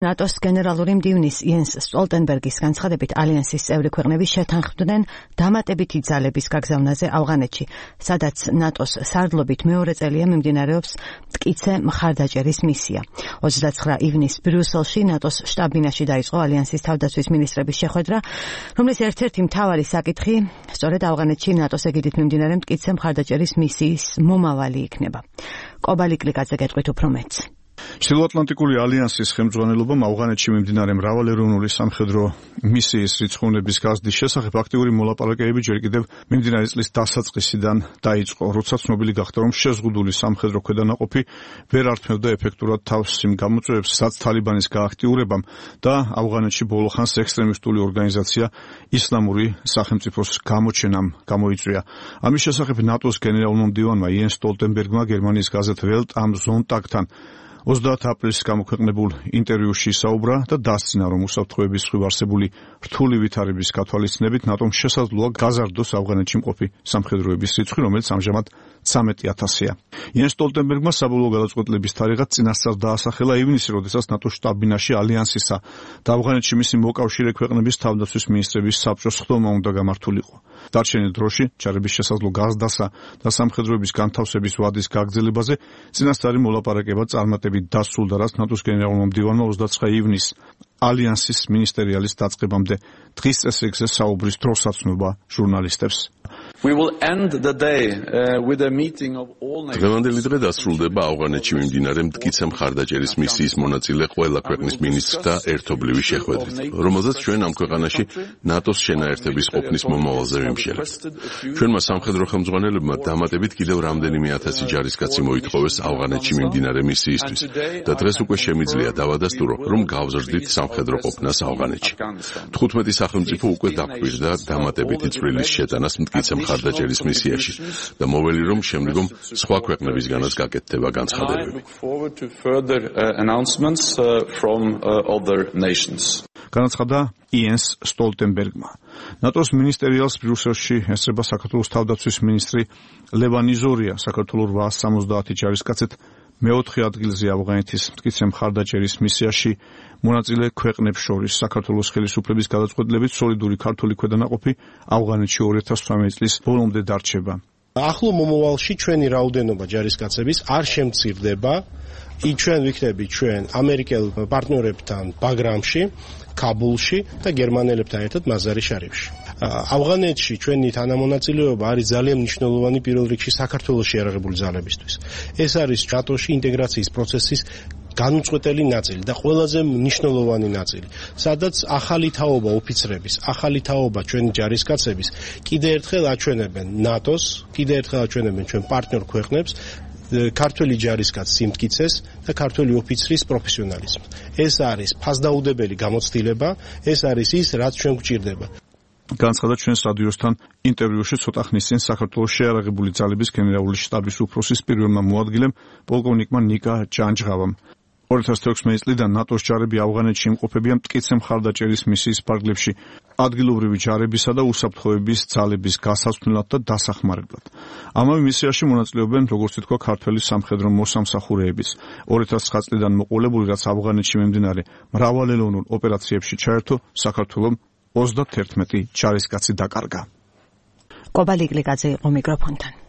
ნატოს გენერალური მდივნის იენს სტოლტენბერგის განცხადებით ალიანსის წევრი ქვეყნები შეთანხმდნენ დამატებითი ძალების გაგზავნაზე ავღანეთში, სადაც ნატოს სარდლობით მეორე წელია მიმდინარეობს მტკიცე მხარდაჭერის მისია. 29 ივნისს ბრიუსელში ნატოს შტაბ-ბინაში დაიწყო ალიანსის თავდაცვის მინისტრების შეხვედრა, რომლის ერთ-ერთი მთავარი საკითხი სწორედ ავღანეთში ნატოს ეგიდით მიმდინარე მტკიცე მხარდაჭერის მისიის მომავალი იქნება. კობალი კლიკაძე გეტყვით უფრო მეტს. ჩრდილოატლანტიკური ალიანსის ხელმძღვანელობამ ავღანეთში მიმდინარე მრავალეროვნული სამხედრო მისიის რიცხოვნების გაზრდის შესახებ აქტიური მოლაპარაკებები ჯერ კიდევ მიმდინარე წლის დასაწყისიდან დაიწყო, როცა ცნობილი გახდა, რომ შეზღუდული სამხედრო ქვედანაყოფი ვერ ართმევდა ეფექტურად თავს იმ გამოწვევებს, რაც თალიბანის გააქტიურებამ და ავღანეთში ბოლო ხანს ექსტრემისტული ორგანიზაცია ისლამური სახელმწიფოს გამოჩენამ გამოიწვია. ამის შესახებ ნატოს გენერალურმა მდივანმა იენს სტოლტენბერგმა გერმანიის გაზეთ ველტ ამ ზონტაგთან 30 აპრილს გამოქვეყნებულ ინტერვიუში საუბრა და დასძინა, რომ უსაფრთხოების მხრივ არსებული რთული ვითარების გათვალისწინებით ნატომ შესაძლოა გაზარდოს ავღანეთში მყოფი სამხედროების რიცხვი, რომელიც ამჟამად 13,000-ია. იენს სტოლტენბერგმა საბოლოო გადაწყვეტილების თარიღად წინასწარ დაასახელა ივნისი, როდესაც ნატოს შტაბ-ბინაში ალიანსისა და ავღანეთში მისი მოკავშირე ქვეყნების თავდაცვის მინისტრების საბჭოს ხდომა უნდა გამართულიყო. დარჩენილ დროში ჯარების შესაძლო გაზრდასა და სამხედროების განთავსების ვადის გაგრძელებაზე წინასწარი მოლაპარაკება წარმატებით დასრულდა, რაც ნატოს გენერალურმა მდივანმა 29 ივნისს ალიანსის მინისტერიალის დაწყებამდე დღის წესრიგზე საუბრის დროს აცნობა ჟურნალისტებს. დღევანდელი დღე დასრულდება ავღანეთში მიმდინარე მტკიცე მხარდაჭერის მისიის მონაწილე ყველა ქვეყნის მინისტრთა ერთობლივი შეხვედრით, რომელზეც ჩვენ ამ ქვეყანაში ნატოს შენაერთების ყოფნის მომავალზე ვიმსჯელებთ. ჩვენმა სამხედრო ხელმძღვანელებმა დამატებით კიდევ რამდენიმე ათასი ჯარისკაცი მოითხოვეს ავღანეთში მიმდინარე მისიისთვის და დღეს უკვე შემიძლია დავადასტურო, რომ გავზრდით სამხედრო ყოფნას ავღანეთში. 15 სახელმწიფო უკვე დაკვირდა დამატებითი წვლილის შეტანას მტკიცე მხარდაჭერის მისიაში და მოვლი რომ შემდგომ სხვა ქვეყნებისგანაც გაკეთდება განცხადებები. განაცხადა იენს სტოლტენბერგმა. ნატოს მინისტერიალს ბრიუსელში ესწრება საქართველოს თავდაცვის მინისტრი ლევან იზორია. საქართველოს 870 ჯარისკაცით მეოთხე ადგილზე ავღანეთის მტკიცე მხარდაჭერის მისიაში მონაწილე ქვეყნებს შორის საქართველოს ხელისუფლების გადაწყვეტილებით სოლიდური ქართული ქვედანაყოფი ავღანეთში 2018 წლის ბოლომდე დარჩება. ახლო მომავალში ჩვენი რაოდენობა ჯარისკაცების არ შემცირდება. ჩვენ ვიქნები ჩვენ ამერიკელ პარტნიორებთან ბაგრამში, კაბულში და გერმანელებთან ერთად მაზარი-შარიფში. ავღანეთში ჩვენი თანამონაწილეობა არის ძალიან მნიშვნელოვანი პირველ რიგში საქართველოს შეიარაღებული ძალებისთვის. ეს არის ნატოში ინტეგრაციის პროცესის განუწყვეტელი ნაწილი და ყველაზე მნიშვნელოვანი ნაწილი, სადაც ახალი თაობა ოფიცრების, ახალი თაობა ჩვენი ჯარისკაცების კიდე ერთხელ აჩვენებენ ნატოს, კიდე ერთხელ აჩვენებენ ჩვენ პარტნიორ ქვეყნებს ქართველი ჯარისკაცის სიმტკიცეს და ქართველი ოფიცრის პროფესიონალიზმს. ეს არის ფასდაუდებელი გამოცდილება, ეს არის ის, რაც ჩვენ გვჭირდება. განცხადა ჩვენს რადიოსთან ინტერვიუში ცოტა ხნის წინ საქართველოს შეიარაღებული ძალების გენერალური შტაბის უფროსის პირველმა მოადგილემ პოლკოვნიკმა ნიკა ჯანჯღავამ. 2016 წლიდან ნატოს ჯარები ავღანეთში იმყოფებიან მტკიცე მხარდაჭერის მისიის ფარგლებში ადგილობრივი ჯარებისა და უსაფრთხოების ძალების გასაცვლელად და დასახმარებლად. ამავე მისიაში მონაწილეობენ, როგორც ითქვა, ქართველი სამხედრო მოსამსახურეების. 2009 წლიდან მოყოლებული, რაც ავღანეთში მიმდინარე მრავალელოვნურ ოპერაციებში ჩაერთო, საქართველომ 31 ჯარისკაცი დაკარგა. კობალი კლიკაძე იყო მიკროფონთან.